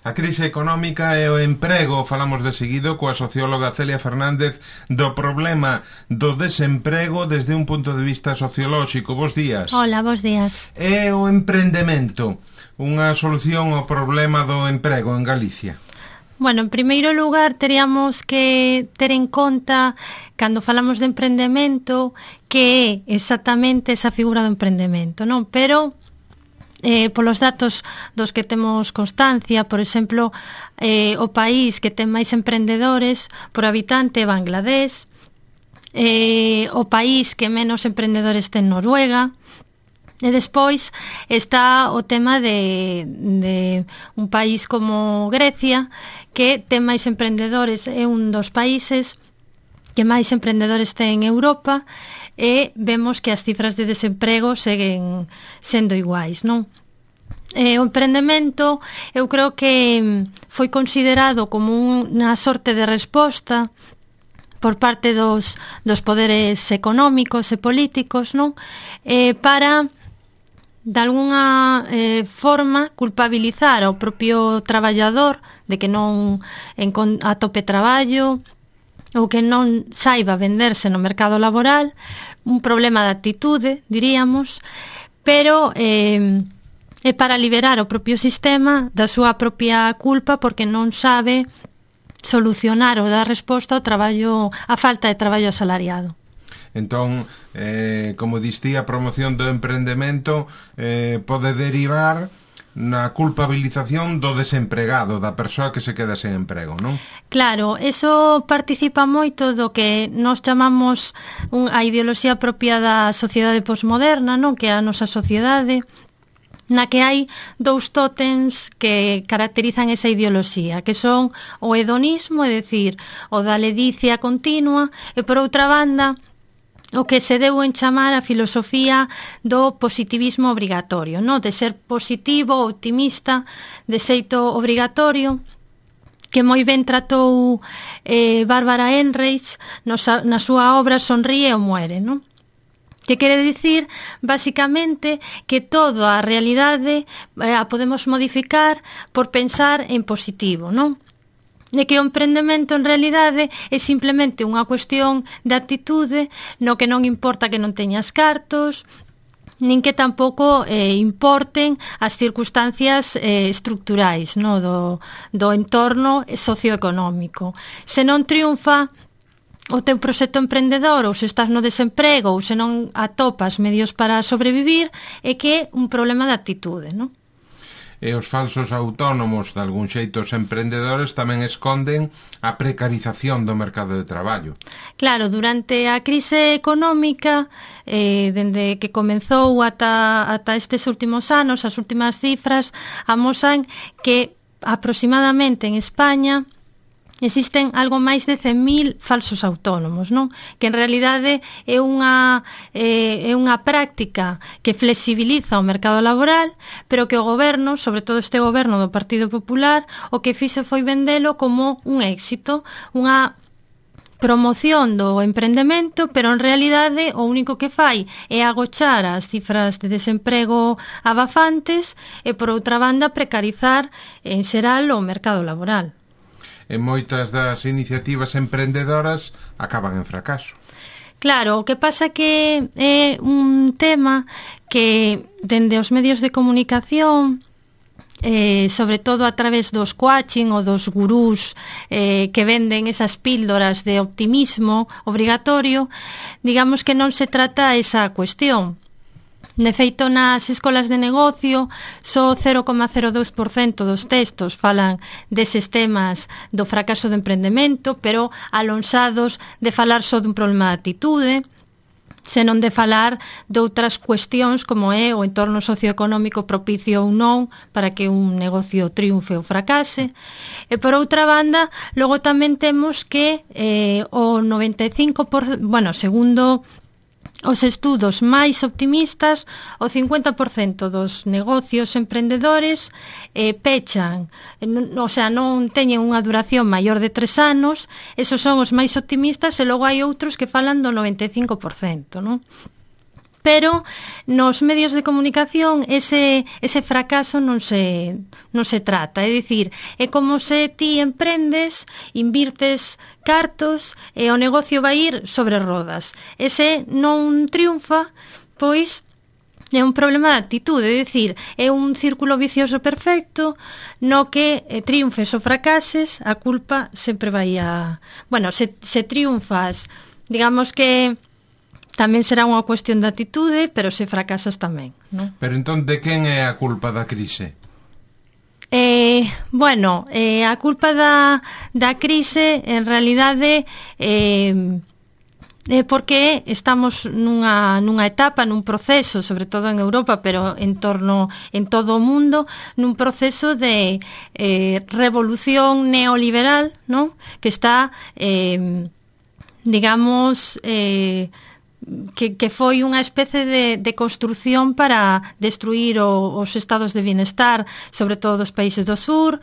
A crise económica e o emprego, falamos de seguido coa socióloga Celia Fernández do problema do desemprego desde un punto de vista sociolóxico. Bos días. Hola, bos días. E o emprendemento, unha solución ao problema do emprego en Galicia? Bueno, en primeiro lugar, teríamos que ter en conta, cando falamos de emprendemento, que é exactamente esa figura do emprendemento, non? Pero polos datos dos que temos constancia, por exemplo, o país que ten máis emprendedores por habitante é Bangladesh, o país que menos emprendedores ten Noruega, e despois está o tema de un país como Grecia, que ten máis emprendedores, é un dos países que máis emprendedores ten en Europa, e vemos que as cifras de desemprego seguen sendo iguais, non? O emprendemento, eu creo que foi considerado como unha sorte de resposta por parte dos poderes económicos e políticos, non? Para, de alguna forma, culpabilizar ao propio traballador de que non atope traballo ou que non saiba venderse no mercado laboral, un problema de actitude, diríamos, pero é para liberar o propio sistema da súa propia culpa porque non sabe solucionar ou dar resposta ao traballo, á falta de traballo asalariado. Entón, como distí, a promoción do emprendemento pode derivar na culpabilización do desempregado, da persoa que se queda sen emprego, non? Claro, eso participa moito do que nós chamamos a ideoloxía propia da sociedade posmoderna, non? Que é a nosa sociedade, na que hai dous tótems que caracterizan esa ideoloxía, que son o hedonismo, é dicir, o da ledicia continua, e por outra banda, o que se deu en chamar a filosofía do positivismo obrigatorio, non? De ser positivo, optimista, de xeito obrigatorio, que moi ben tratou Bárbara Ehrenreich na súa obra Sonríe ou muere, non? Que quere dicir, basicamente, que toda a realidade a podemos modificar por pensar en positivo, non? De que o emprendemento en realidade é simplemente unha cuestión de actitude no que non importa que non teñas cartos, nin que tampouco importen as circunstancias estructurais, no? do entorno socioeconómico. Se non triunfa o teu proxecto emprendedor, ou se estás no desemprego, ou se non atopas medios para sobrevivir, é que é un problema de actitude, non? E os falsos autónomos, de algún xeito os emprendedores, tamén esconden a precarización do mercado de traballo. Claro, durante a crise económica, dende que comenzou ata estes últimos anos, as últimas cifras amosan que aproximadamente en España existen algo máis de 100.000 falsos autónomos, non? Que en realidade é unha práctica que flexibiliza o mercado laboral, pero que o goberno, sobre todo este goberno do Partido Popular, o que fixo foi vendelo como un éxito, unha promoción do emprendemento, pero en realidade o único que fai é agochar as cifras de desemprego abafantes e, por outra banda, precarizar en xeral o mercado laboral. E moitas das iniciativas emprendedoras acaban en fracaso. Claro, o que pasa que é un tema que dende os medios de comunicación, sobre todo a través dos coaching ou dos gurús que venden esas píldoras de optimismo obrigatorio, digamos que non se trata esa cuestión. De feito, nas escolas de negocio, só 0,02% dos textos falan deses temas do fracaso do emprendemento, pero alonsados de falar só dun problema de actitude, senón de falar de outras cuestións como é o entorno socioeconómico propicio ou non para que un negocio triunfe ou fracase. E por outra banda, logo tamén temos que o 95%, segundo os estudos máis optimistas, o 50% dos negocios emprendedores pechan, non teñen unha duración maior de 3 anos, esos son os máis optimistas, e logo hai outros que falan do 95%, non? pero nos medios de comunicación ese fracaso non se trata, é dicir, é como se ti emprendes, invirtes cartos e o negocio vai ir sobre rodas. Ese non triunfa, pois é un problema de actitude, é dicir, é un círculo vicioso perfecto no que triunfes ou fracases, a culpa sempre vai a... Bueno, se triunfas, digamos que tamén será unha cuestión de actitude, pero se fracasas tamén, non? Pero entón, de quen é a culpa da crise? A culpa da crise, en realidade, porque estamos nunha etapa, nun proceso, sobre todo en Europa, pero en todo o mundo, nun proceso de revolución neoliberal, non? Que está, digamos... que foi unha especie de construción para destruir os estados de bienestar, sobre todo dos países do sur,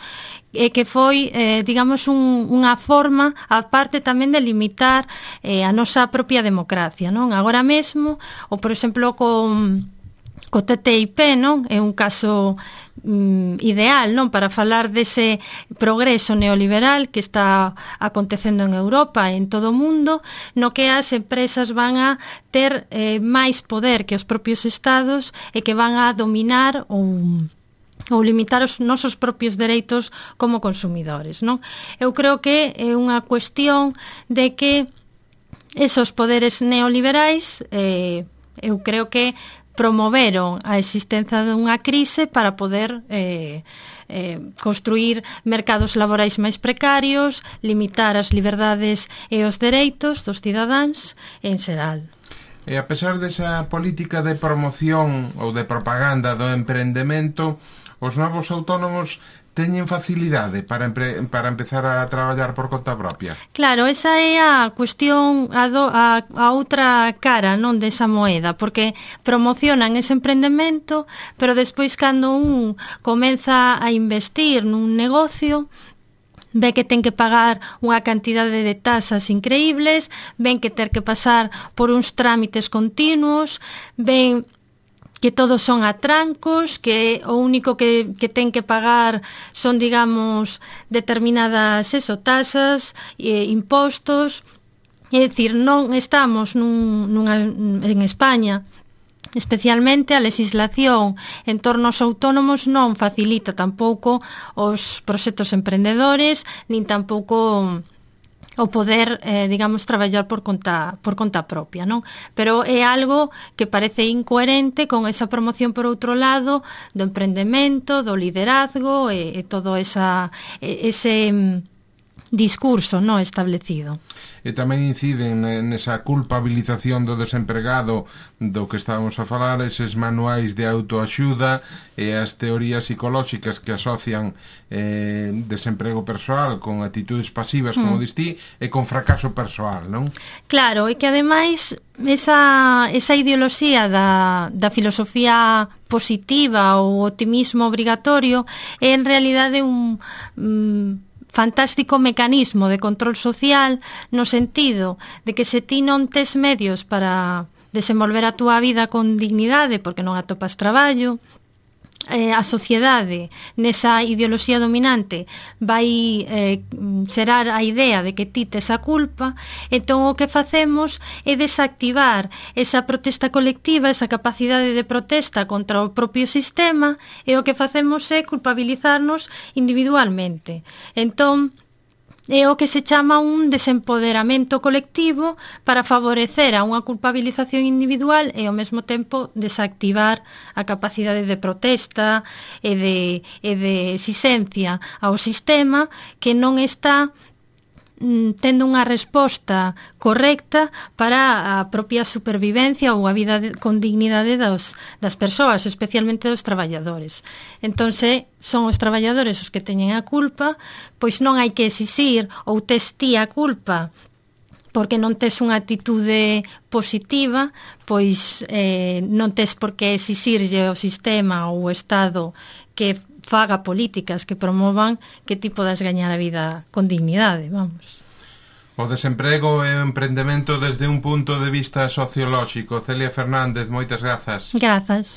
e que foi, digamos, unha forma, aparte tamén de limitar a nosa propia democracia, non? Agora mesmo, ou por exemplo, co TTIP, non? É un caso ideal, non, para falar dese progreso neoliberal que está acontecendo en Europa e en todo o mundo, no que as empresas van a ter máis poder que os propios estados e que van a dominar ou limitar os nosos propios dereitos como consumidores, non? Eu creo que é unha cuestión de que esos poderes neoliberais, eu creo que promoveron a existencia dunha crise para poder construir mercados laborais máis precarios, limitar as liberdades e os dereitos dos cidadáns en xeral. E a pesar desa política de promoción ou de propaganda do emprendemento, os novos autónomos teñen facilidade para empezar a traballar por conta propia? Claro, esa é a cuestión, a outra cara, non, desa moeda, porque promocionan ese emprendemento, pero despois cando un comeza a investir nun negocio, ve que ten que pagar unha cantidade de tasas increíbles, ven que ter que pasar por uns trámites continuos, ven que todos son atrancos, que o único que ten que pagar son, digamos, determinadas tasas, impostos. É dicir, non estamos en España, especialmente a legislación en torno aos autónomos non facilita tampouco os proxectos emprendedores, nin tampouco o poder, digamos, traballar por conta propia, non? Pero é algo que parece incoherente con esa promoción, por outro lado, do emprendemento, do liderazgo e todo ese discurso, non, establecido. E tamén inciden nesa culpabilización do desempregado do que estábamos a falar, eses manuais de autoaxuda e as teorías psicolóxicas que asocian desemprego persoal con actitudes pasivas, como distí, e con fracaso persoal, non? Claro, e que ademais esa ideoloxía da filosofía positiva ou optimismo obrigatorio é en realidade un fantástico mecanismo de control social, no sentido de que se ti non tes medios para desenvolver a túa vida con dignidade porque non atopas traballo, a sociedade nesa ideoloxía dominante vai xerar a idea de que ti tes a culpa, entón o que facemos é desactivar esa protesta colectiva, esa capacidade de protesta contra o propio sistema, e o que facemos é culpabilizarnos individualmente. Entón, é o que se chama un desempoderamento colectivo para favorecer a unha culpabilización individual e ao mesmo tempo desactivar a capacidade de protesta e de exigencia ao sistema que non está tendo unha resposta correcta para a propia supervivencia ou a vida con dignidade das persoas, especialmente dos traballadores. Entón, son os traballadores os que teñen a culpa, pois non hai que exixir ou tes ti a culpa porque non tes unha actitude positiva, pois non tes por que exixirlle ao sistema ou ao Estado que faga políticas que promovan que ti podas gañar a vida con dignidade, vamos. O desemprego e o emprendemento desde un punto de vista sociolóxico. Celia Fernández, moitas grazas. Grazas.